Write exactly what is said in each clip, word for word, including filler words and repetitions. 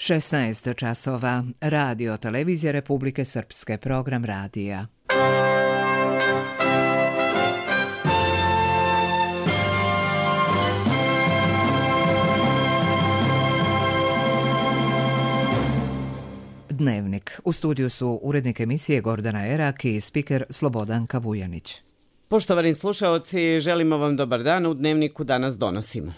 šesnaest časova. Radio Televizija Republike Srpske, program radija. Dnevnik. U studiju su urednik emisije Gordana Erak i spiker Slobodanka Vujanić. Poštovani slušaoci, želimo vam dobar dan. U Dnevniku danas donosimo.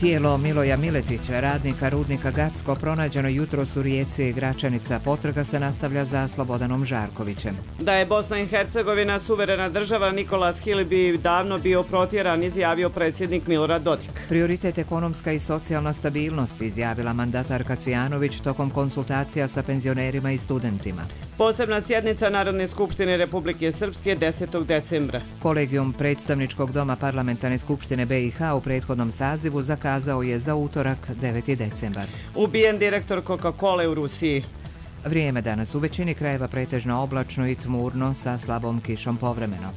Tijelo Miloja Miletića, radnika rudnika Gacko, pronađeno jutros u rijeci Gračanica. Potraga se nastavlja za Slobodanom Žarkovićem. Da je Bosna i Hercegovina suverena država, Nikolas Hil bi davno bio protjeran, izjavio predsjednik Milorad Dodik. Prioritet ekonomska i socijalna stabilnost, izjavila mandatarka Cvijanović tokom konsultacija sa penzionerima i studentima. Posebna sjednica Narodne skupštine Republike Srpske desetog decembra. Kolegijum predstavničkog doma Parlamentarne skupštine B i H u prethodnom sazivu zakazao je za utorak deveti decembar. Ubijen direktor Coca-Cola u Rusiji. Vrijeme danas u većini krajeva pretežno oblačno i tmurno sa slabom kišom povremeno.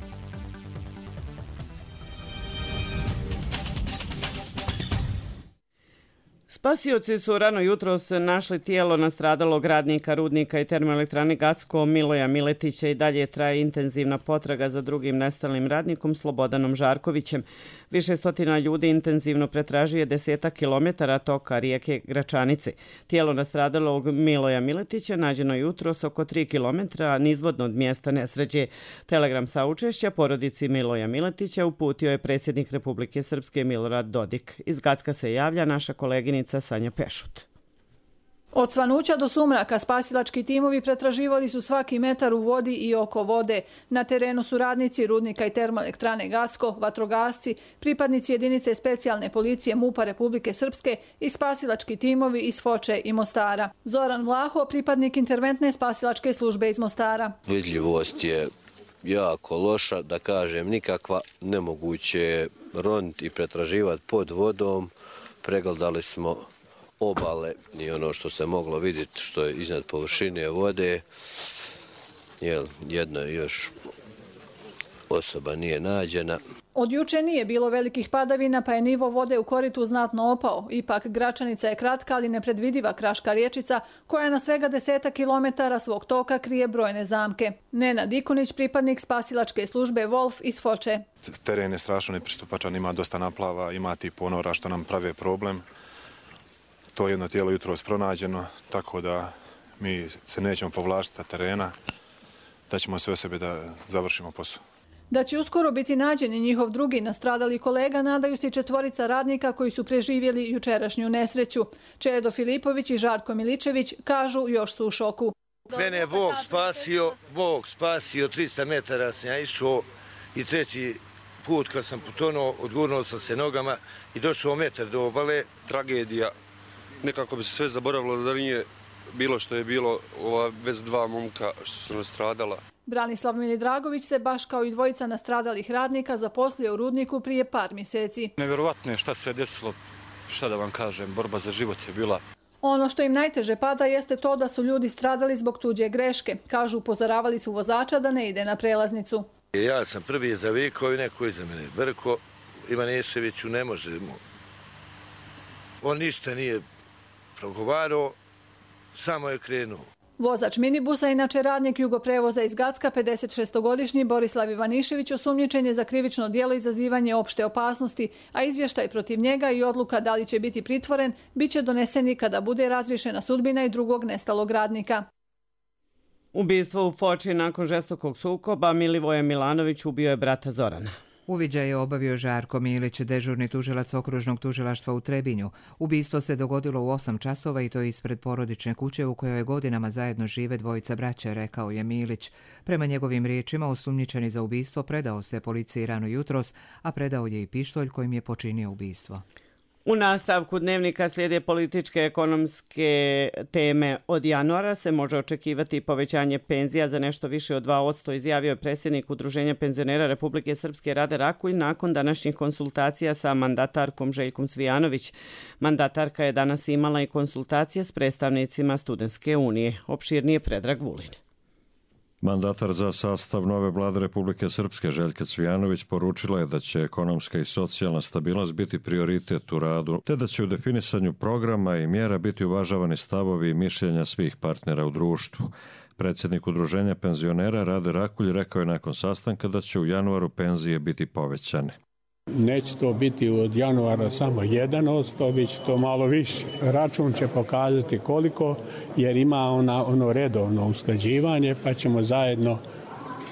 Spasioci su rano jutros našli tijelo nastradalog radnika rudnika i termoelektrane Gacko Miloja Miletića. I dalje traje intenzivna potraga za drugim nestalim radnikom Slobodanom Žarkovićem. Više stotina ljudi intenzivno pretražuje desetak kilometara toka rijeke Gračanice. Tijelo nastradalog Miloja Miletića nađeno jutros oko tri kilometra nizvodno od mjesta nesreće. Telegram saučešća porodici Miloja Miletića uputio je predsjednik Republike Srpske Milorad Dodik. Iz Gacka se javlja naša koleginica Sanja Pešut. Od svanuća do sumraka spasilački timovi pretraživali su svaki metar u vodi i oko vode. Na terenu su radnici rudnika i termoelektrane Gacko, vatrogasci, pripadnici jedinice specijalne policije MUP-a Republike Srpske i spasilački timovi iz Foče i Mostara. Zoran Vlaho, pripadnik interventne spasilačke službe iz Mostara. Vidljivost je jako loša, da kažem nikakva, nemoguće je roniti i pretraživati pod vodom. Pregledali smo obale i ono što se moglo vidjeti što je iznad površine vode. Jel, jedna još osoba nije nađena. Od juče nije bilo velikih padavina, pa je nivo vode u koritu znatno opao. Ipak Gračanica je kratka, ali nepredvidiva kraška riječica koja na svega deseta kilometara svog toka krije brojne zamke. Nenad Ikunić, pripadnik spasilačke službe Wolf iz Foče. Teren je strašno nepristupačan, ima dosta naplava, ima ti ponora što nam prave problem. To jedno tijelo jutros pronađeno, tako da mi se nećemo povlačiti sa terena, da ćemo sve sebe da završimo posao. Da će uskoro biti nađen i njihov drugi nastradali kolega, nadaju se četvorica radnika koji su preživjeli jučerašnju nesreću. Čedo Filipović i Žarko Miličević kažu još su u šoku. Mene je Bog spasio, Bog spasio, tristo metara sam ja išao i treći put kad sam potonuo, odgurnuo sam se nogama i došao metar do obale. Tragedija, nekako bi se sve zaboravilo da nije bilo što je bilo, ova vez dva momka što su nastradala. Branislav Milidragović se baš kao i dvojica nastradalih radnika zaposlio u rudniku prije par mjeseci. Nevjerovatno je šta se desilo, šta da vam kažem, borba za život je bila. Ono što im najteže pada jeste to da su ljudi stradali zbog tuđe greške. Kažu, upozoravali su vozača da ne ide na prelaznicu. Ja sam prvi zavikao i neko iza mene. Brko Ivaneševiću ne možemo. On ništa nije progovarao, samo je krenuo. Vozač minibusa, inače radnik Jugoprevoza iz Gacka, pedesetšestogodišnji Borislav Ivanišević, osumnjičen je za krivično djelo izazivanje opšte opasnosti, a izvještaj protiv njega i odluka da li će biti pritvoren biće doneseni kada bude razriješena sudbina i drugog nestalog radnika. Ubistvo u Foči nakon žestokog sukoba. Milivoje Milanović ubio je brata Zorana. Uviđaj je obavio Žarko Milić, dežurni tužilac okružnog tužilaštva u Trebinju. Ubistvo se dogodilo u osam časova i to ispred porodične kuće u kojoj godinama zajedno žive dvojica braće, rekao je Milić. Prema njegovim riječima, osumnjičeni za ubistvo predao se policiji rano jutros, a predao je i pištolj kojim je počinio ubistvo. U nastavku Dnevnika slijede političke ekonomske teme. Od januara se može očekivati povećanje penzija za nešto više od dva posto, izjavio je predsjednik Udruženja penzionera Republike Srpske Rade Rakulj nakon današnjih konsultacija sa mandatarkom Željkom Cvijanović. Mandatarka je danas imala i konsultacije s predstavnicima Studentske unije. Opširnije Predrag Vulin. Mandatar za sastav nove vlade Republike Srpske Željka Cvijanović poručila je da će ekonomska i socijalna stabilnost biti prioritet u radu, te da će u definisanju programa i mjera biti uvažavani stavovi i mišljenja svih partnera u društvu. Predsjednik Udruženja penzionera Rade Rakulj rekao je nakon sastanka da će u januaru penzije biti povećane. Neće to biti od januara samo jedan odsto, bit će to malo više. Račun će pokazati koliko, jer ima ona, ono redovno usklađivanje, pa ćemo zajedno,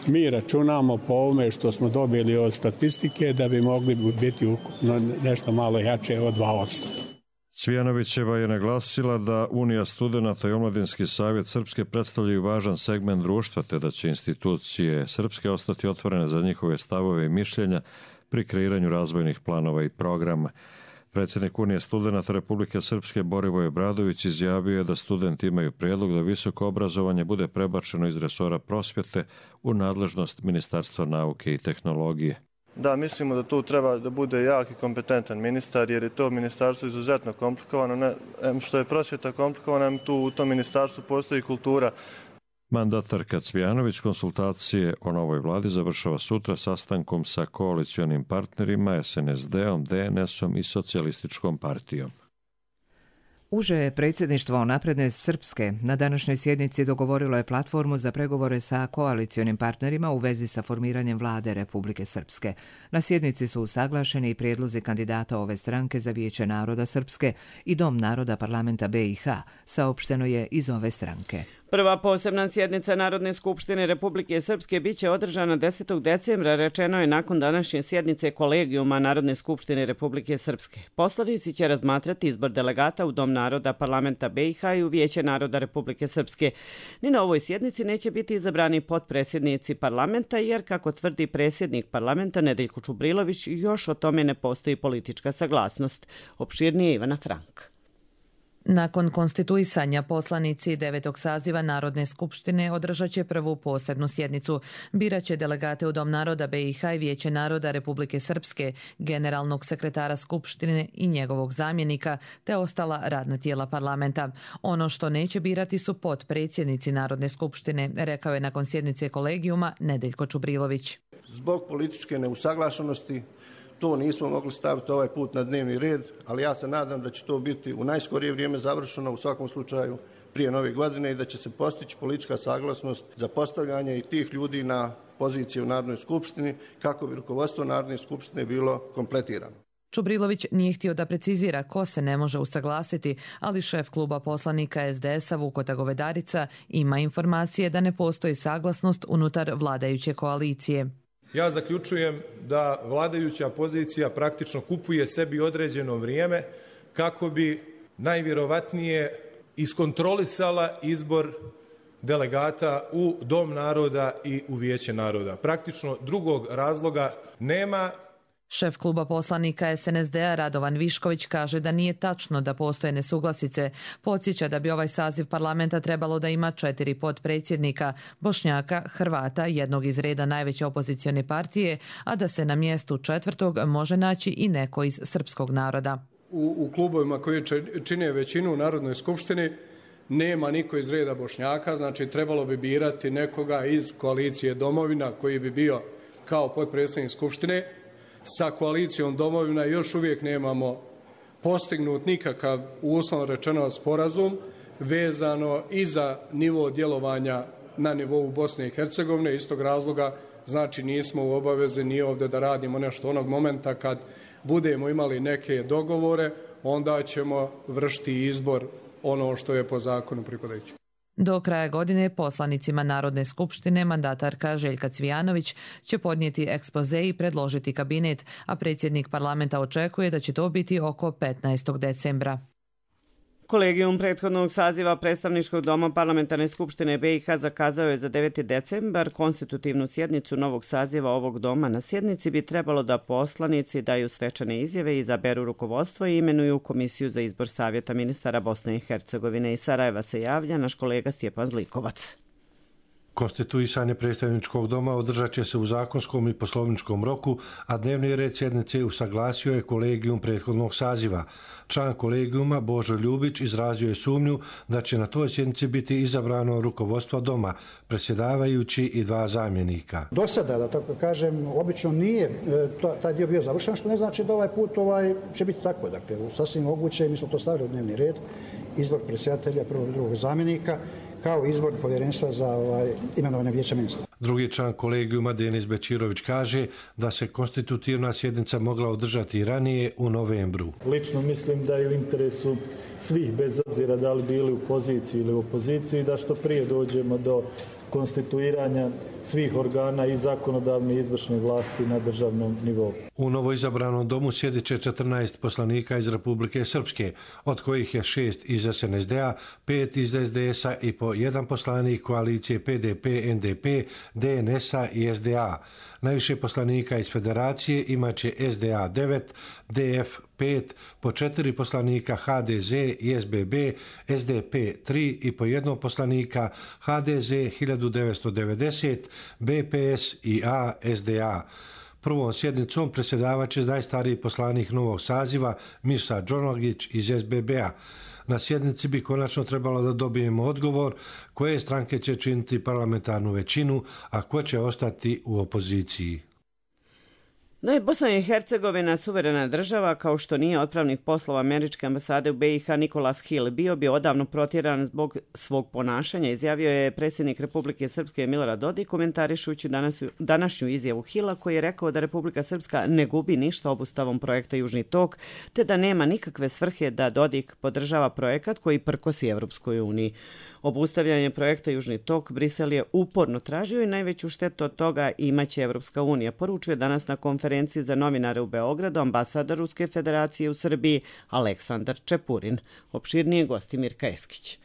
mi računamo po ovome što smo dobili od statistike, da bi mogli biti ukupno nešto malo jače od dva odsto. Cvijanovićeva je naglasila da Unija studenata i Omladinski savjet Srpske predstavljaju važan segment društva, te da će institucije Srpske ostati otvorene za njihove stavove i mišljenja pri kreiranju razvojnih planova i programa. Predsjednik Unije studenata Republike Srpske Borivoje Obradović izjavio je da studenti imaju prijedlog da visoko obrazovanje bude prebačeno iz resora prosvjete u nadležnost Ministarstva nauke i tehnologije. Da, mislimo da tu treba da bude jak i kompetentan ministar, jer je to ministarstvo izuzetno komplikovano. Ne, što je prosvjeta komplikovana, tu u tom ministarstvu postoji kultura. Mandatarka Cvijanović konsultacije o novoj vladi završava sutra sastankom sa koalicionim partnerima es en es de-om, de en es-om i Socijalističkom partijom. Uže predsjedništvo Napredne Srpske na današnjoj sjednici dogovorilo je platformu za pregovore sa koalicionim partnerima u vezi sa formiranjem vlade Republike Srpske. Na sjednici su usaglašeni i prijedlozi kandidata ove stranke za Vijeće naroda Srpske i Dom naroda parlamenta be i ha, saopšteno je iz ove stranke. Prva posebna sjednica Narodne skupštine Republike Srpske biće održana desetog decembra, rečeno je nakon današnje sjednice kolegijuma Narodne skupštine Republike Srpske. Poslanici će razmatrati izbor delegata u Dom naroda parlamenta be i ha i u Vijeće naroda Republike Srpske. Ni na ovoj sjednici neće biti izabrani potpredsjednici parlamenta, jer, kako tvrdi predsjednik parlamenta Nedeljko Čubrilović, još o tome ne postoji politička saglasnost. Opširnije Ivana Frank. Nakon konstituisanja poslanici devetog saziva Narodne skupštine održat će prvu posebnu sjednicu. Biraće delegate u Dom naroda be i ha i Vijeće naroda Republike Srpske, generalnog sekretara skupštine i njegovog zamjenika, te ostala radna tijela parlamenta. Ono što neće birati su potpredsjednici Narodne skupštine, rekao je nakon sjednice kolegijuma Nedeljko Čubrilović. Zbog političke neusaglašenosti to nismo mogli staviti ovaj put na dnevni red, ali ja se nadam da će to biti u najskorije vrijeme završeno, u svakom slučaju prije nove godine, i da će se postići politička saglasnost za postavljanje i tih ljudi na pozicije u Narodnoj skupštini, kako bi rukovodstvo Narodne skupštine bilo kompletirano. Čubrilović nije htio da precizira ko se ne može usaglasiti, ali šef kluba poslanika es de es-a Vukota Govedarica ima informacije da ne postoji saglasnost unutar vladajuće koalicije. Ja zaključujem da vladajuća pozicija praktično kupuje sebi određeno vrijeme kako bi najvjerovatnije iskontrolisala izbor delegata u Dom naroda i u Vijeće naroda. Praktično drugog razloga nema. Šef kluba poslanika es en es de-a Radovan Višković kaže da nije tačno da postoje nesuglasice. Podsjeća da bi ovaj saziv parlamenta trebalo da ima četiri potpredsjednika, Bošnjaka, Hrvata, jednog iz reda najveće opozicione partije, a da se na mjestu četvrtog može naći i neko iz srpskog naroda. U, u klubovima koji čine većinu u Narodnoj skupštini nema niko iz reda Bošnjaka, znači trebalo bi birati nekoga iz koalicije Domovina koji bi bio kao potpredsjednik skupštine. Sa koalicijom Domovina još uvijek nemamo postignut nikakav, uslovno rečeno, sporazum vezano i za nivo djelovanja na nivou Bosne i Hercegovine. Iz tog razloga, znači, nismo u obavezi ni ovdje da radimo nešto onog momenta kad budemo imali neke dogovore, onda ćemo vršiti izbor ono što je po zakonu pripadajuće. Do kraja godine poslanicima Narodne skupštine mandatarka Željka Cvijanović će podnijeti ekspoze i predložiti kabinet, a predsjednik parlamenta očekuje da će to biti oko petnaestog decembra. Kolegijum prethodnog saziva Predstavničkog doma Parlamentarne skupštine be i ha zakazao je za deveti decembar konstitutivnu sjednicu novog saziva ovog doma. Na sjednici bi trebalo da poslanici daju svečane izjave, izaberu rukovodstvo i imenuju komisiju za izbor savjeta ministara Bosne i Hercegovine. Iz Sarajeva se javlja naš kolega Stjepan Zlikovac. Konstituisanje predstavničkog doma održat će se u zakonskom i poslovničkom roku, a dnevni red sjednice usaglasio je kolegijum prethodnog saziva. Član kolegijuma Božo Ljubić izrazio je sumnju da će na toj sjednici biti izabrano rukovodstvo doma, predsjedavajući i dva zamjenika. Do sada, da tako kažem, obično nije taj dio bio završen, što ne znači da ovaj put ovaj, će biti tako. Dakle, sasvim moguće, mi smo to stavili u dnevni red, izbor predsjedatelja, prvog i drugog zamjenika, kao izbor povjerenstva za ovaj, imenovanje vijeća ministra. Drugi član kolegijuma Denis Bečirović kaže da se konstitutivna sjednica mogla održati ranije u novembru. Lično mislim da je u interesu svih, bez obzira da li bili u poziciji ili u opoziciji, da što prije dođemo do konstituiranja svih organa i zakonodavne i izvršne vlasti na državnom nivou. U novoizabranom domu sjedit će četrnaest poslanika iz Republike Srpske, od kojih je šest iz S N S D-a, pet iz S D S-a i po jedan poslanik koalicije P D P, N D P, D N S-a i S D A. Najviše poslanika iz Federacije imaće S D A devet, D F pet, po četiri poslanika H D Z i S B B, S D P tri i po jednog poslanika H D Z hiljadu devetsto devedeset, B P S i A S D A. Prvom sjednicom predsjedavat će najstariji poslanik novog saziva Mirsa Đonogić iz S B B-a. Na sjednici bi konačno trebalo da dobijemo odgovor koje stranke će činiti parlamentarnu većinu, a ko će ostati u opoziciji. No i Bosna i Hercegovina suverena država, kao što nije otpravnik poslova američke ambasade u B i H Nikolas Hill bio bi odavno protjeran zbog svog ponašanja, izjavio je predsjednik Republike Srpske Milorad Dodik, komentarišući danas, današnju izjavu Hilla, koji je rekao da Republika Srpska ne gubi ništa obustavom projekta Južni tok, te da nema nikakve svrhe da Dodik podržava projekat koji prkosi Evropskoj uniji. Obustavljanje projekta Južni tok Brisel je uporno tražio i najveću štetu od toga imaće Evropska unija, poručuje danas na konferenciji za novinare u Beogradu ambasador Ruske federacije u Srbiji Aleksandar Čepurin. Opširnije gosti Mirka Eskić.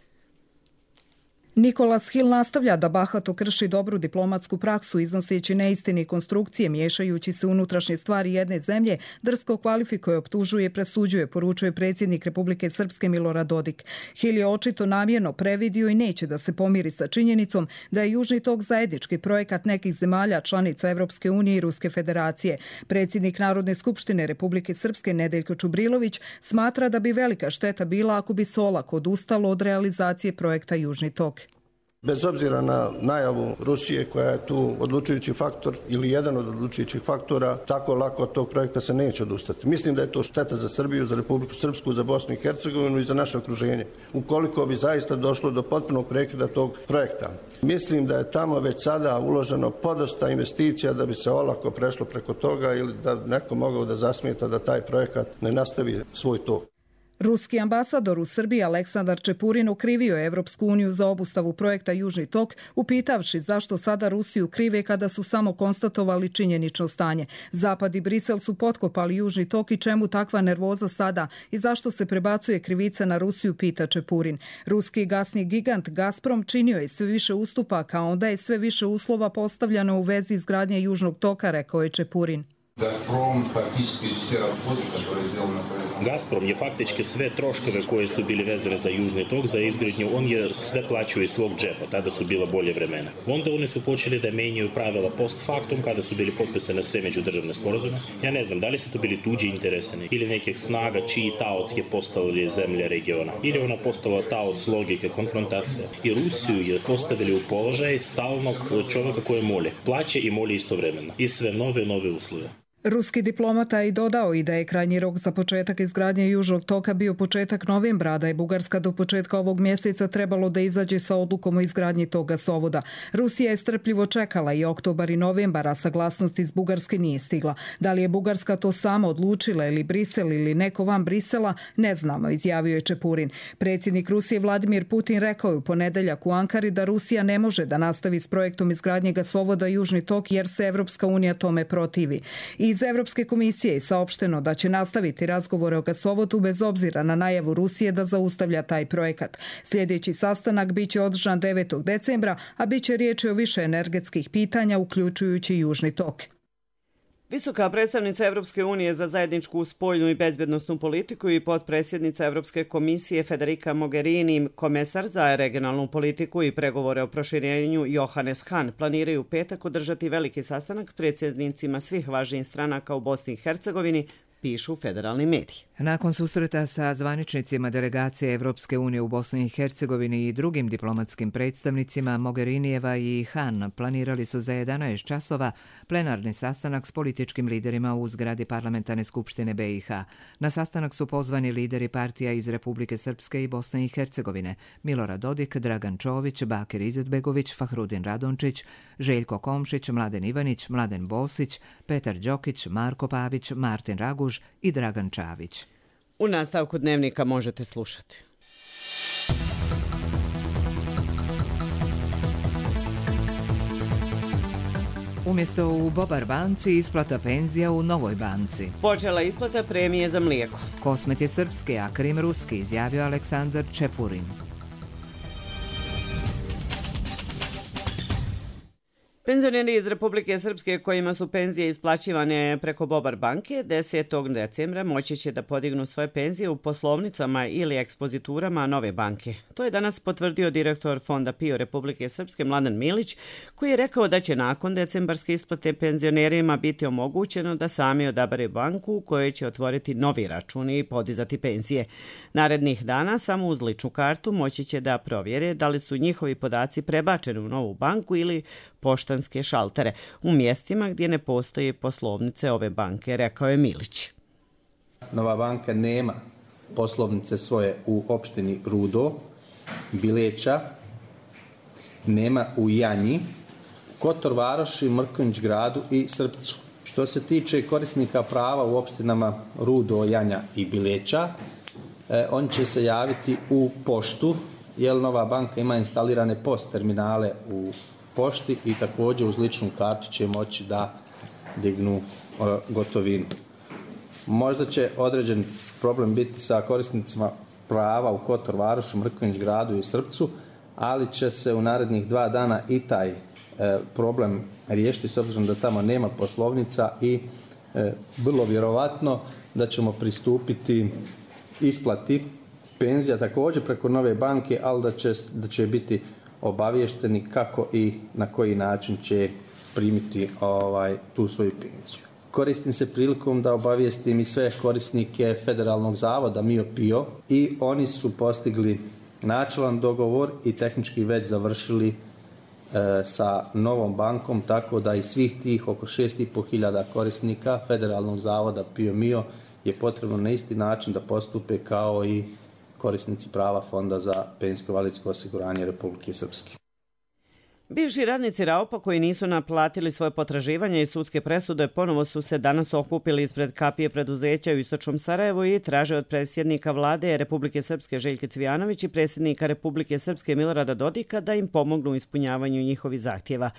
Nikolas Hill nastavlja da bahato krši dobru diplomatsku praksu, iznoseći neistine i konstrukcije, miješajući se unutrašnje stvari jedne zemlje, drsko kvalifikuje, optužuje, presuđuje, poručuje predsjednik Republike Srpske Milorad Dodik. Hill je očito namjerno previdio i neće da se pomiri sa činjenicom da je Južni tok zajednički projekat nekih zemalja članica Evropske unije i Ruske federacije. Predsjednik Narodne skupštine Republike Srpske Nedeljko Čubrilović smatra da bi velika šteta bila ako bi se olako odustalo od realizacije projekta Južni tok. Bez obzira na najavu Rusije koja je tu odlučujući faktor ili jedan od odlučujućih faktora, tako lako od tog projekta se neće odustati. Mislim da je to šteta za Srbiju, za Republiku Srpsku, za Bosnu i Hercegovinu i za naše okruženje. Ukoliko bi zaista došlo do potpunog prekida tog projekta. Mislim da je tamo već sada uloženo podosta investicija da bi se olako prešlo preko toga ili da neko mogao da zasmeta da taj projekat ne nastavi svoj tok. Ruski ambasador u Srbiji Aleksandar Čepurin okrivio je Evropsku uniju za obustavu projekta Južni tok, upitavši zašto sada Rusiju krive kada su samo konstatovali činjenično stanje. Zapad i Brisel su potkopali Južni tok i čemu takva nervoza sada i zašto se prebacuje krivica na Rusiju, pita Čepurin. Ruski gasni gigant Gazprom činio je sve više ustupaka, a onda je sve više uslova postavljano u vezi izgradnje Južnog toka, rekao je Čepurin. Gazprom je faktički sve troškove koje su bili vezane za Južni tok, za izgradnju, on je sve plaćao iz svog džepa, tada su bila bolje vremena. Onda oni su počeli da menjaju pravila post factum, kada su bili potpisane sve međudržavne sporazume. Ja ne znam, da li su to bili tuđi intereseni ili nekih snaga čiji taoc je postavili zemlje regiona. Ili ona postala taoc logike konfrontacije. I Rusiju je postavili u položaj stalnog čovjeka koje moli. Plaće i moli istovremeno. I sve nove i nove uslove. Ruski diplomata je dodao i da je krajnji rok za početak izgradnje Južnog toka bio početak novembra, da je Bugarska do početka ovog mjeseca trebalo da izađe sa odlukom o izgradnji tog gasovoda. Rusija je strpljivo čekala i oktobar i novembar, a saglasnost iz Bugarske nije stigla. Da li je Bugarska to sama odlučila ili Brisel ili neko van Brisela, ne znamo, izjavio je Čepurin. Predsjednik Rusije Vladimir Putin rekao je u ponedeljak u Ankari da Rusija ne može da nastavi s projektom izgradnje gasovoda Južni tok jer se Evropska unija tome protivi. I Iz Evropske komisije je saopšteno da će nastaviti razgovore o gasovodu bez obzira na najavu Rusije da zaustavlja taj projekat. Sljedeći sastanak biće održan devetog decembra, a biće riječi o više energetskih pitanja, uključujući Južni tok. Visoka predstavnica Evropske unije za zajedničku spoljnu i bezbjednosnu politiku i potpredsjednica Evropske komisije Federica Mogherini, komesar za regionalnu politiku i pregovore o proširenju Johannes Hahn planiraju u petak održati veliki sastanak predsjednicima svih važnijih stranaka u Bosni i Hercegovini, pišu federalni mediji. Nakon susreta sa zvaničnicima delegacije Evropske unije u Bosni i Hercegovini i drugim diplomatskim predstavnicima, Mogherinijeva i Hahn planirali su za jedanaest časova plenarni sastanak s političkim liderima u zgradi Parlamentarne skupštine B i H. Na sastanak su pozvani lideri partija iz Republike Srpske i Bosne i Hercegovine: Milorad Dodik, Dragan Čović, Bakir Izetbegović, Fahrudin Radončić, Željko Komšić, Mladen Ivanić, Mladen Bosić, Petar Đokić, Marko Pavić, Martin Raguž i Dragan Čavić. U nastavku dnevnika možete slušati. Umjesto u Bobar banci, isplata penzija u Novoj banci. Počela isplata premije za mlijeko. Kosmet je srpski, a Krim ruski, izjavio Aleksandar Čepurin. Penzioneri iz Republike Srpske kojima su penzije isplaćivane preko Bobar banke desetog decembra moći će da podignu svoje penzije u poslovnicama ili ekspoziturama Nove banke. To je danas potvrdio direktor Fonda PIO Republike Srpske Mladen Milić, koji je rekao da će nakon decembarske isplate penzionerima biti omogućeno da sami odabere banku u kojoj će otvoriti novi račun i podizati penzije. Narednih dana samo uz ličnu kartu moći će da provjere da li su njihovi podaci prebačeni u novu banku ili poštanske šaltere u mjestima gdje ne postoje poslovnice ove banke, rekao je Milić. Nova banka nema poslovnice svoje u opštini Rudo, Bileća, nema u Janji, Kotor Varoši, Mrkonjić gradu i Srpcu. Što se tiče korisnika prava u opštinama Rudo, Janja i Bileća, eh, on će se javiti u poštu, jer Nova banka ima instalirane post terminale u pošti i također uz ličnu kartu će moći da dignu uh, gotovinu. Možda će određen problem biti sa korisnicima prava u Kotor Varošu, Mrkonjić gradu i Srpcu, ali će se u narednih dva dana i taj uh, problem riješiti s obzirom da tamo nema poslovnica i uh, vrlo vjerovatno da ćemo pristupiti isplati penzija također preko Nove banke, ali da će, da će biti obavješteni kako i na koji način će primiti ovaj, tu svoju penziju. Koristim se prilikom da obavijestim i sve korisnike Federalnog zavoda MIO PIO i oni su postigli načelan dogovor i tehnički već završili e, sa Novom bankom, tako da i svih tih oko šest i pol hiljada korisnika Federalnog zavoda PIO MIO je potrebno na isti način da postupe kao i korisnici prava Fonda za penzijsko-invalidsko osiguranje Republike Srpske. Bivši radnici Raupa koji nisu naplatili svoje potraživanje i sudske presude ponovo su se danas okupili ispred kapije preduzeća u Istočnom Sarajevu i traže od predsjednika vlade Republike Srpske Željke Cvijanović i predsjednika Republike Srpske Milorada Dodika da im pomognu u ispunjavanju njihovih zahtjeva.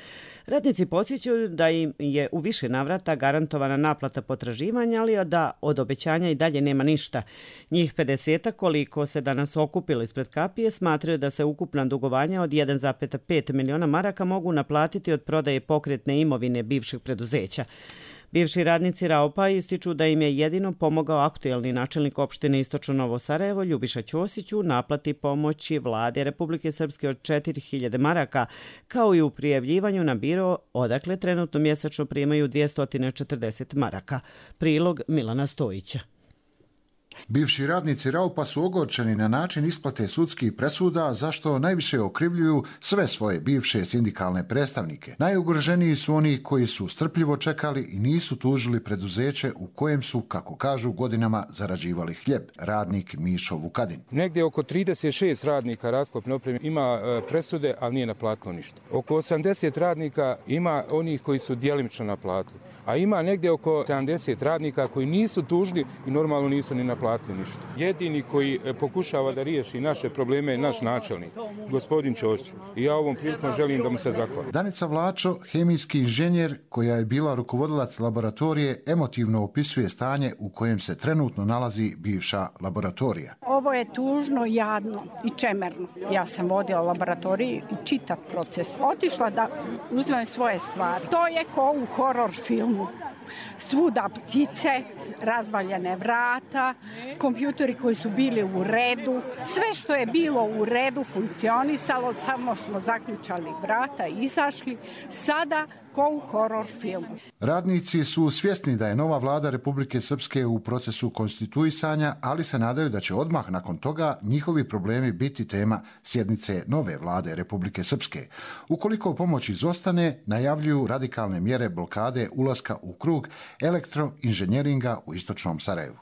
Radnici podsjećaju da im je u više navrata garantovana naplata potraživanja, ali da od obećanja i dalje nema ništa. Njih pedeset koliko se danas okupilo ispred kapije smatraju da se ukupna dugovanja od jedan zarez pet miliona maraka mogu naplatiti od prodaje pokretne imovine bivših preduzeća. Bivši radnici Raupa ističu da im je jedino pomogao aktuelni načelnik opštine Istočno Novo Sarajevo Ljubiša Ćosić u naplati pomoći vlade Republike Srpske od četiri hiljade maraka, kao i u prijavljivanju na biro odakle trenutno mjesečno primaju dvjesto četrdeset maraka. Prilog Milana Stojića. Bivši radnici Raupa su ogorčeni na način isplate sudskih presuda, zašto najviše okrivljuju sve svoje bivše sindikalne predstavnike. Najugroženiji su oni koji su strpljivo čekali i nisu tužili preduzeće u kojem su, kako kažu, godinama zarađivali hljeb. Radnik Mišo Vukadin. Negdje oko trideset šest radnika rasklopne opreme ima presude, ali nije naplatilo ništa. Oko osamdeset radnika ima onih koji su djelimično naplatili, a ima negdje oko sedamdeset radnika koji nisu tužili i normalno nisu ni naplatili naplatili ništa. Jedini koji pokušava da riješi naše probleme je naš načelnik, gospodin Ćosić. I ja ovom prilikom želim da mu se zahvalim. Danica Vlačo, hemijski inženjer koja je bila rukovodilac laboratorije, emotivno opisuje stanje u kojem se trenutno nalazi bivša laboratorija. Ovo je tužno, jadno i čemerno. Ja sam vodila laboratoriju i čitav proces. Otišla da uzmem svoje stvari. To je ko u horor filmu. Svuda ptice, razvaljene vrata, kompjuteri koji su bili u redu, sve što je bilo u redu funkcionisalo, samo smo zaključali vrata i izašli, sada ko u horor filmu. Radnici su svjesni da je nova vlada Republike Srpske u procesu konstituisanja, ali se nadaju da će odmah nakon toga njihovi problemi biti tema sjednice nove vlade Republike Srpske. Ukoliko pomoć izostane, najavljuju radikalne mjere blokade ulaska u krug elektroinženjeringa u istočnom Sarajevu.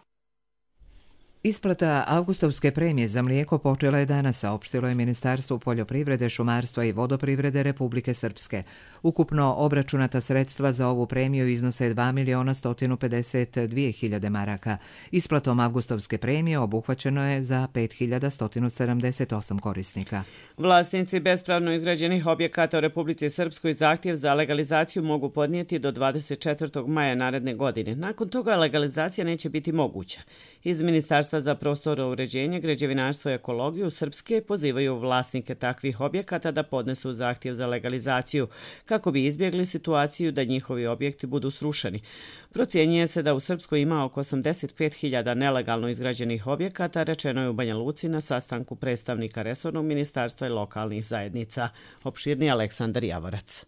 Isplata avgustovske premije za mlijeko počela je danas, saopštilo je Ministarstvo poljoprivrede, šumarstva i vodoprivrede Republike Srpske. Ukupno obračunata sredstva za ovu premiju iznose dva miliona sto pedeset dvije hiljade maraka. Isplatom avgustovske premije obuhvaćeno je za pet hiljada sto sedamdeset osam korisnika. Vlasnici bespravno izgrađenih objekata u Republici Srpskoj zahtjev za legalizaciju mogu podnijeti do dvadeset četvrtog maja naredne godine. Nakon toga legalizacija neće biti moguća. Iz Ministarstva za prostorno uređenje, građevinarstvo i ekologiju Srpske pozivaju vlasnike takvih objekata da podnesu zahtjev za legalizaciju kako bi izbjegli situaciju da njihovi objekti budu srušeni. Procjenjuje se da u Srpskoj ima oko osamdeset pet hiljada nelegalno izgrađenih objekata, rečeno je u Banja Luci na sastanku predstavnika resornog ministarstva i lokalnih zajednica. Opširni Aleksandar Javorac.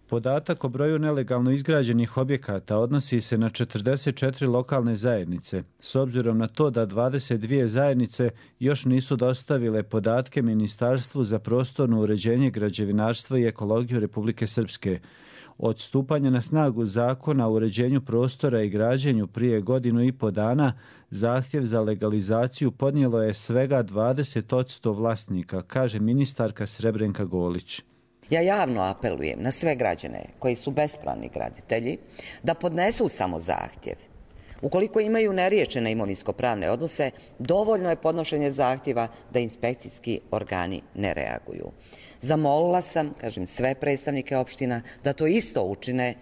Podatak o broju nelegalno izgrađenih objekata odnosi se na četrdeset četiri lokalne zajednice, s obzirom na to da dvadeset dvije zajednice još nisu dostavile podatke Ministarstvu za prostorno uređenje, građevinarstvo i ekologiju Republike Srpske. Od stupanja na snagu zakona o uređenju prostora i građenju prije godinu i po dana, zahtjev za legalizaciju podnijelo je svega dvadeset posto vlasnika, kaže ministarka Srebrenka Golić. Ja javno apelujem na sve građane koji su bespravni graditelji da podnesu samo zahtjev. Ukoliko imaju neriješene imovinsko-pravne odnose, dovoljno je podnošenje zahtjeva da inspekcijski organi ne reaguju. Zamolila sam, kažem, sve predstavnike opština da to isto učine.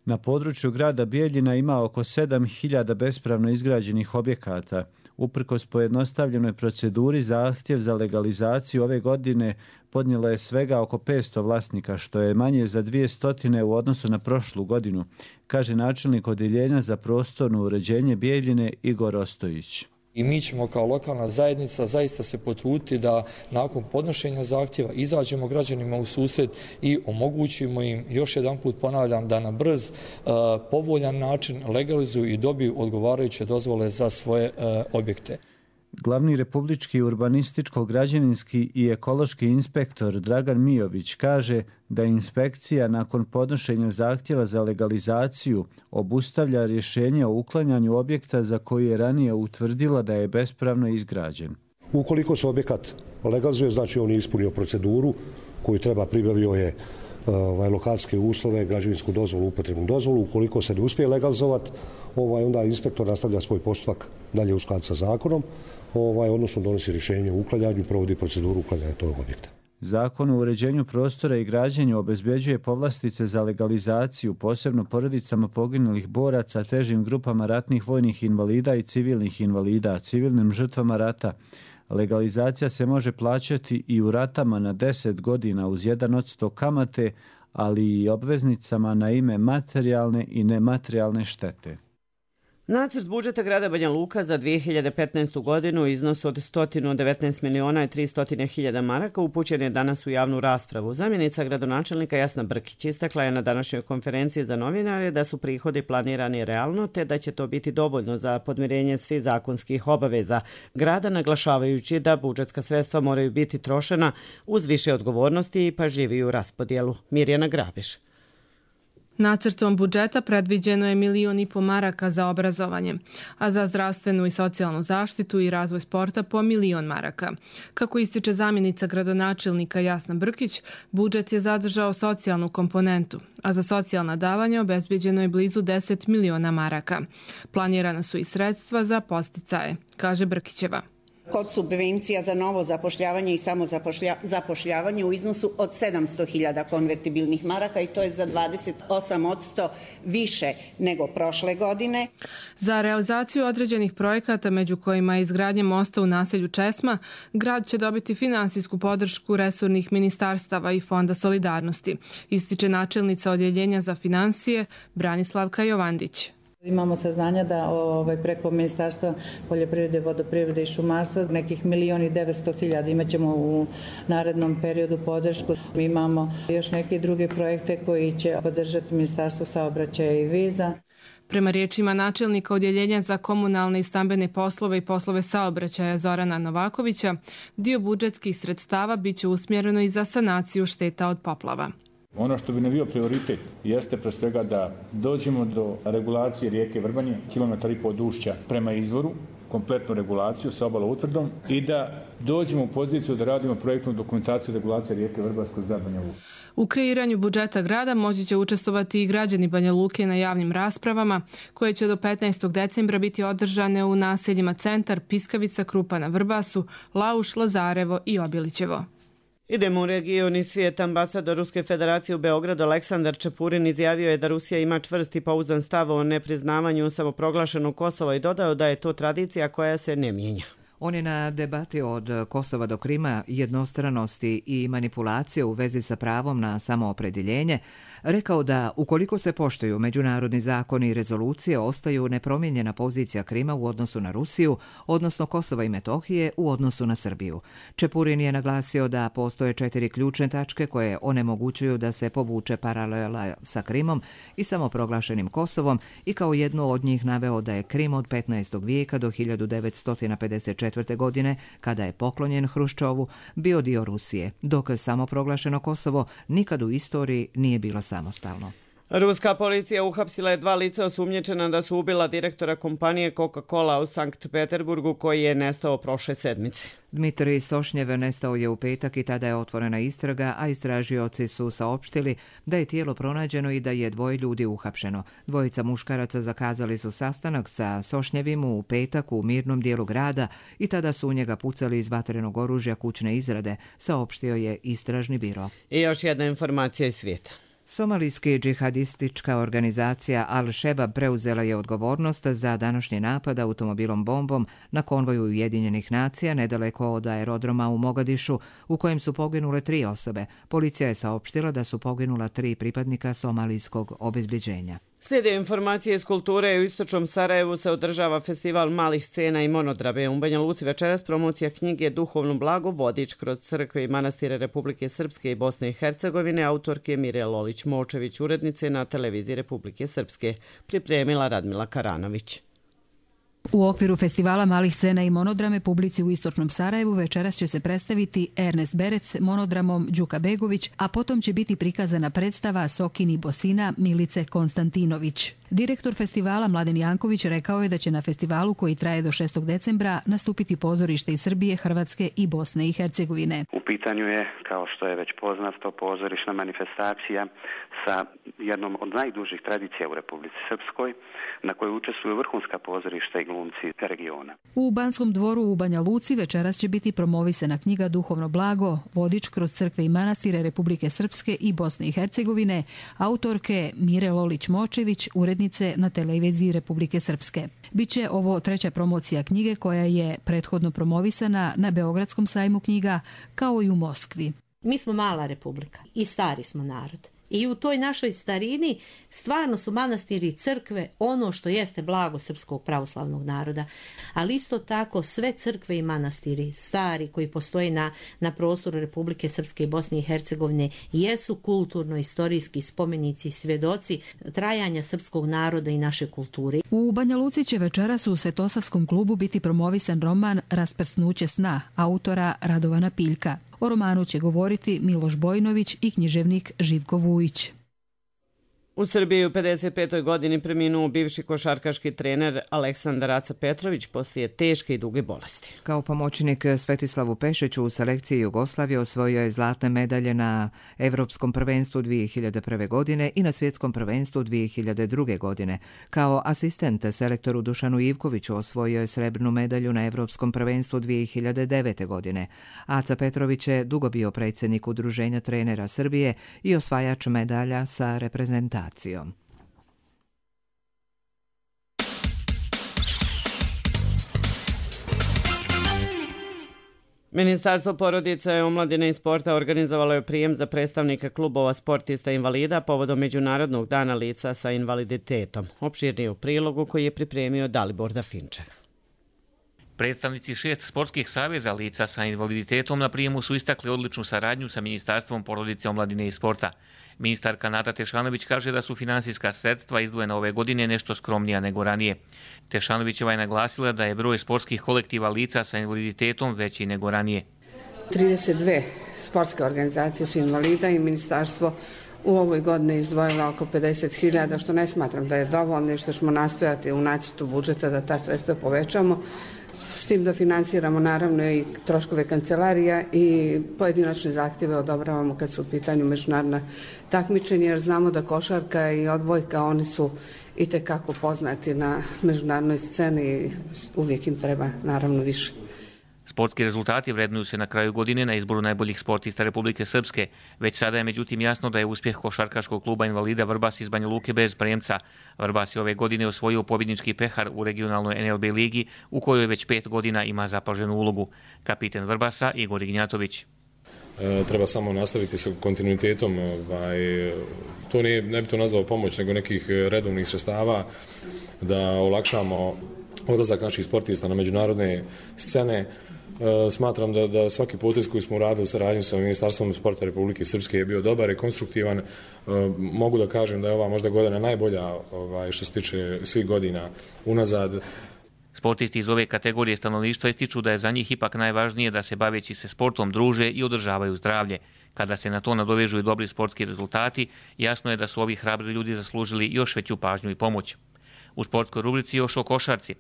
Na području grada Bijeljina ima oko sedam hiljada bespravno izgrađenih objekata. Uprkos pojednostavljenoj proceduri, zahtjev za legalizaciju ove godine podnijelo je svega oko petsto vlasnika, što je manje za dvije stotine u odnosu na prošlu godinu, kaže načelnik Odjeljenja za prostorno uređenje Bijeljine Igor Ostojić. I mi ćemo kao lokalna zajednica zaista se potruditi da nakon podnošenja zahtjeva izađemo građanima u susret i omogućimo im, još jedan put ponavljam, da na brz, povoljan način legalizuju i dobiju odgovarajuće dozvole za svoje objekte. Glavni republički urbanističko-građevinski i ekološki inspektor Dragan Mijović kaže da inspekcija nakon podnošenja zahtjeva za legalizaciju obustavlja rješenje o uklanjanju objekta za koji je ranije utvrdila da je bespravno izgrađen. Ukoliko se objekat legalizuje, znači on je ispunio proceduru koju treba, pribavio je ovaj, lokacijske uslove, građevinsku dozvolu, upotrebnu dozvolu. Ukoliko se ne uspije legalizovati, ovaj, onda inspektor nastavlja svoj postupak dalje u skladu sa zakonom, ovaj, odnosno donosi rješenje o uklanjanju i provodi proceduru uklanjanja tog objekta. Zakon o uređenju prostora i građenju obezbeđuje povlastice za legalizaciju, posebno porodicama poginulih boraca, težim grupama ratnih vojnih invalida i civilnih invalida, civilnim žrtvama rata. Legalizacija se može plaćati i u ratama na deset godina uz jedan odsto kamate, ali i obveznicama na ime materijalne i nematerijalne štete. Nacrt budžeta grada Banja Luka za dvije hiljade petnaestu godinu iznos od sto devetnaest miliona i tristo hiljada maraka upućen je danas u javnu raspravu. Zamjenica gradonačelnika Jasna Brkić istakla je na današnjoj konferenciji za novinare da su prihodi planirani realno te da će to biti dovoljno za podmirenje svih zakonskih obaveza grada, naglašavajući da budžetska sredstva moraju biti trošena uz više odgovornosti i pažljiviju raspodjelu. Mirjana Grabiš. Nacrtom budžeta predviđeno je milion i po maraka za obrazovanje, a za zdravstvenu i socijalnu zaštitu i razvoj sporta po milion maraka. Kako ističe zamjenica gradonačelnika Jasna Brkić, budžet je zadržao socijalnu komponentu, a za socijalna davanja obezbeđeno je blizu deset miliona maraka. Planirana su i sredstva za podsticaje, kaže Brkićeva. Kod subvencija za novo zapošljavanje i samozapošljavanje u iznosu od sedamsto hiljada konvertibilnih maraka i to je za dvadeset osam posto više nego prošle godine. Za realizaciju određenih projekata, među kojima je izgradnja mosta u naselju Česma, grad će dobiti finansijsku podršku resornih ministarstava i Fonda solidarnosti, ističe načelnica Odjeljenja za finansije Branislavka Jovandić. Imamo saznanja da ovaj, preko Ministarstva poljoprivrede, vodoprivrede i šumarstva nekih milion i devetsto hiljada imat ćemo u narednom periodu podršku. Imamo još neke druge projekte koji će podržati Ministarstvo saobraćaja i viza. Prema riječima načelnika Odjeljenja za komunalne i stambene poslove i poslove saobraćaja Zorana Novakovića, dio budžetskih sredstava biće usmjereno i za sanaciju šteta od poplava. Ono što bi ne bio prioritet jeste pre svega da dođemo do regulacije rijeke Vrbanje, kilometar i pol dušća prema izvoru, kompletnu regulaciju sa obaloutvrdom i da dođemo u poziciju da radimo projektnu dokumentaciju regulacije rijeke Vrba kroz grad Banja Luka. U kreiranju budžeta grada moći će učestvovati i građani Banja Luke na javnim raspravama koje će do petnaestog decembra biti održane u naseljima Centar, Piskavica, Krupa na Vrbasu, Lauš, Lazarevo i Obilićevo. Idemo u region i svijet. Ambasador Ruske federacije u Beogradu Aleksandar Čepurin izjavio je da Rusija ima čvrst i pouzdan stav o nepriznavanju samoproglašenog Kosova i dodao da je to tradicija koja se ne mijenja. On je na debati od Kosova do Krima, jednostranosti i manipulacije u vezi sa pravom na samoopredjeljenje rekao da ukoliko se poštuju međunarodni zakoni i rezolucije ostaju nepromijenjena pozicija Krima u odnosu na Rusiju, odnosno Kosova i Metohije u odnosu na Srbiju. Čepurin je naglasio da postoje četiri ključne tačke koje onemogućuju da se povuče paralela sa Krimom i samoproglašenim Kosovom i kao jednu od njih naveo da je Krim od petnaestog vijeka do hiljadu devetsto pedeset četvrte. godine, kada je poklonjen Hruščovu, bio dio Rusije, dok samoproglašeno Kosovo nikad u istoriji nije bilo samostalno. Ruska policija uhapsila je dva lica osumnjičena da su ubila direktora kompanije Coca-Cola u Sankt Peterburgu koji je nestao prošle sedmice. Dmitrij Sošnjev nestao je u petak i tada je otvorena istraga, a istražioci su saopštili da je tijelo pronađeno i da je dvoje ljudi uhapšeno. Dvojica muškaraca zakazali su sastanak sa Sošnjevim u petak u mirnom dijelu grada i tada su u njega pucali iz vatrenog oružja kućne izrade, saopštio je istražni biro. I još jedna informacija iz svijeta. Somalijski džihadistička organizacija Al-Shebab preuzela je odgovornost za današnji napad automobilom bombom na konvoju Ujedinjenih nacija nedaleko od aerodroma u Mogadišu, u kojem su poginule tri osobe. Policija je saopštila da su poginula tri pripadnika somalijskog obezbeđenja. Slijede informacije iz kulture. U istočnom Sarajevu se održava festival malih scena i monodrame. U Banja Luci večeras promocija knjige Duhovno blago, vodič kroz crkve i manastire Republike Srpske i Bosne i Hercegovine, autorke Mire Lolić-Močević, urednice na televiziji Republike Srpske, pripremila Radmila Karanović. U okviru festivala malih scena i monodrame publici u istočnom Sarajevu večeras će se predstaviti Ernest Berec monodramom Đuka Begović, a potom će biti prikazana predstava Sokini Bosina Milice Konstantinović. Direktor festivala Mladen Janković rekao je da će na festivalu koji traje do šestog decembra nastupiti pozorište iz Srbije, Hrvatske i Bosne i Hercegovine. U pitanju je, kao što je već poznato, pozorišna manifestacija sa jednom od najdužih tradicija u Republici Srpskoj, na kojoj učestvuju vrhunska pozorišta i glumci regiona. U Banskom dvoru u Banja Luci večeras će biti promovisana knjiga Duhovno blago, vodič kroz crkve i manastire Republike Srpske i Bosne i Hercegovine, autorke Mire Lolić-Močević, urednice na televiziji Republike Srpske. Biće ovo treća promocija knjige koja je prethodno promovisana na Beogradskom sajmu knjiga kao i u Moskvi. Mi smo mala republika i stari smo narod. I u toj našoj starini stvarno su manastiri i crkve ono što jeste blago srpskog pravoslavnog naroda. Ali isto tako sve crkve i manastiri stari koji postoje na, na prostoru Republike Srpske i Bosne i Hercegovine jesu kulturno-istorijski spomenici i svjedoci trajanja srpskog naroda i naše kulture. U Banja Luci će večeras u Svetosavskom klubu biti promovisan roman Rasprsnuće sna autora Radovana Piljka. O romanu će govoriti Miloš Bojnović i književnik Živko Vujić. U Srbiji u pedeset petoj godini preminuo bivši košarkaški trener Aleksandar Aca Petrović poslije teške i duge bolesti. Kao pomoćnik Svetislavu Pešiću u selekciji Jugoslavije osvojio je zlatne medalje na Evropskom prvenstvu dvije hiljade prve. godine i na Svjetskom prvenstvu dvije hiljade druge. godine. Kao asistent selektoru Dušanu Ivkoviću osvojio je srebrnu medalju na Evropskom prvenstvu dvije hiljade devete. godine. Aca Petrović je dugo bio predsjednik Udruženja trenera Srbije i osvajač medalja sa reprezentacijom. Ministarstvo porodice, omladine i sporta organizovalo je prijem za predstavnike klubova sportista invalida povodom Međunarodnog dana lica sa invaliditetom. Opširnije u prilogu koji je pripremio Dalibor Dafinčev. Predstavnici šest sportskih saveza lica sa invaliditetom na prijemu su istakli odličnu saradnju sa Ministarstvom porodice, omladine i sporta. Ministarka Nata Tešanović kaže da su finansijska sredstva izdvojena ove godine nešto skromnija nego ranije. Tešanovićeva je naglasila da je broj sportskih kolektiva lica sa invaliditetom veći nego ranije. trideset dve sportske organizacije su invalida i ministarstvo u ovoj godini izdvojila oko pedeset hiljada, što ne smatram da je dovoljno i što ćemo nastojati u nacrtu budžeta da ta sredstva povećamo. S tim da finansiramo naravno i troškove kancelarija i pojedinačne zahtjeve odobravamo kad su u pitanju međunarodna takmičenja, jer znamo da košarka i odbojka, oni su itekako poznati na međunarodnoj sceni i uvijek im treba naravno više. Sportski rezultati vrednuju se na kraju godine na izboru najboljih sportista Republike Srpske. Već sada je međutim jasno da je uspjeh košarkaškog kluba invalida Vrbas iz Banja Luke bez premca. Vrbas je ove godine osvojio pobjednički pehar u regionalnoj en el be ligi u kojoj već pet godina ima zapaženu ulogu. Kapiten Vrbasa Igor Ignjatović. E, treba samo nastaviti sa kontinuitetom. Ovaj, to nije, ne bi to nazvao pomoć, nego nekih redovnih sredstava da olakšamo odlazak naših sportista na međunarodne scene. Smatram da, da svaki potez koji smo uradili u saradnju sa Ministarstvom sporta Republike Srpske je bio dobar i konstruktivan. Mogu da kažem da je ova možda godina najbolja ovaj, što se tiče svih godina unazad. Sportisti iz ove kategorije stanovništva ističu da je za njih ipak najvažnije da se baveći se sportom druže i održavaju zdravlje. Kada se na to nadovežu i dobri sportski rezultati, jasno je da su ovi hrabri ljudi zaslužili još veću pažnju i pomoć. U sportskoj rubrici još o košarci.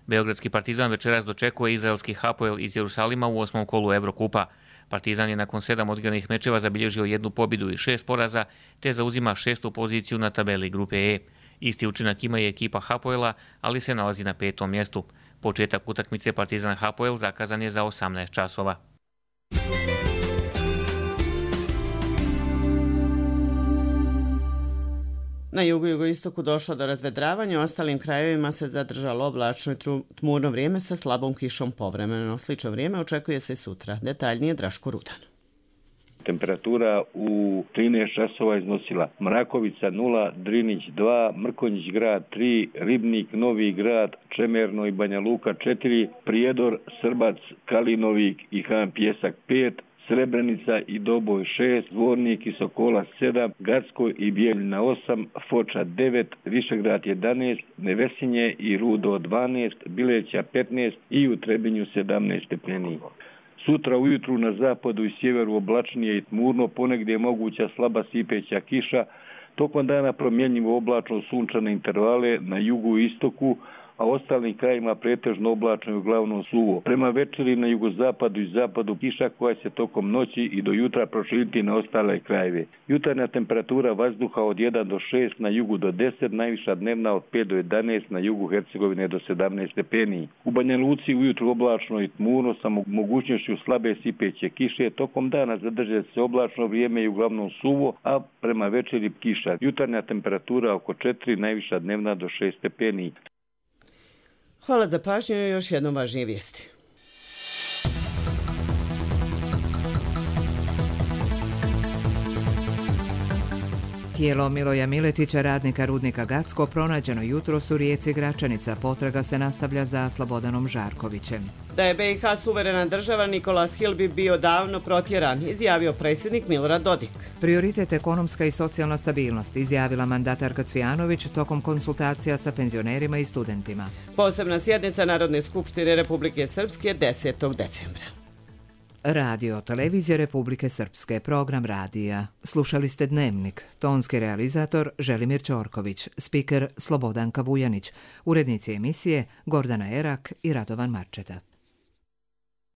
Beogradski Partizan večeras dočekuje izraelski Hapoel iz Jerusalima u osmom kolu Evrokupa. Partizan je nakon sedam odigranih mečeva zabilježio jednu pobjedu i šest poraza, te zauzima šestu poziciju na tabeli grupe E. Isti učinak ima i ekipa Hapoela, ali se nalazi na petom mjestu. Početak utakmice Partizan Hapoel zakazan je za osamnaest časova. Na jugu i jugoistoku došlo do razvedravanja, u ostalim krajevima se zadržalo oblačno i tmurno vrijeme sa slabom kišom povremeno. Slično vrijeme očekuje se sutra. Detaljnije Draško Rudan. Temperatura u trinaest časova iznosila Mrakovica nula, Drinić dva, Mrkonjić grad tri, Ribnik, Novi grad, Čemerno i Banja Luka četiri, Prijedor, Srbac, Kalinovik i Han Pjesak pet, Srebrenica i Doboj šest, Zvornik i Sokola sedam, Gacko i Bijeljina osam, Foča devet, Višegrad jedanaest, Nevesinje i Rudo dvanaest, Bileća petnaest i u Trebinju sedamnaest stepeni. Sutra ujutru na zapadu i sjeveru oblačnije i tmurno, ponegdje je moguća slaba sipeća kiša, tokom dana promjenjivo oblačno sunčane intervale na jugu i istoku, a ostalim krajima pretežno oblačno i uglavnom suvo. Prema večeri na jugozapadu i zapadu kiša koja se tokom noći i do jutra proširiti na ostale krajeve. Jutarnja temperatura vazduha od jedan do šest, na jugu do deset, najviša dnevna od pet do jedanaest, na jugu Hercegovine do sedamnaest stepeni. U Banja Luci ujutru oblačno i tmurno sa mogućnošću slabe sipeće kiše, tokom dana zadrže se oblačno vrijeme i uglavnom suvo, a prema večeri kiša. Jutarnja temperatura oko četiri, najviša dnevna do šest stepeni. Hvala za pažnju i još jednom važnije vijesti. Tijelo Miloja Miletića, radnika rudnika Gacko, pronađeno jutros u rijeci Gračanica. Potraga se nastavlja za Slobodanom Žarkovićem. Da je be i ha suverena država, Nikolas Hil bi bio davno protjeran, izjavio predsjednik Milorad Dodik. Prioritet ekonomska i socijalna stabilnost, izjavila mandatarka Cvijanović tokom konsultacija sa penzionerima i studentima. Posebna sjednica Narodne skupštine Republike Srpske desetog decembra. Radio Televizije Republike Srpske, program radija. Slušali ste Dnevnik, tonski realizator Želimir Ćorković, spiker Slobodanka Vujanić, urednici emisije Gordana Erak i Radovan Marčeta.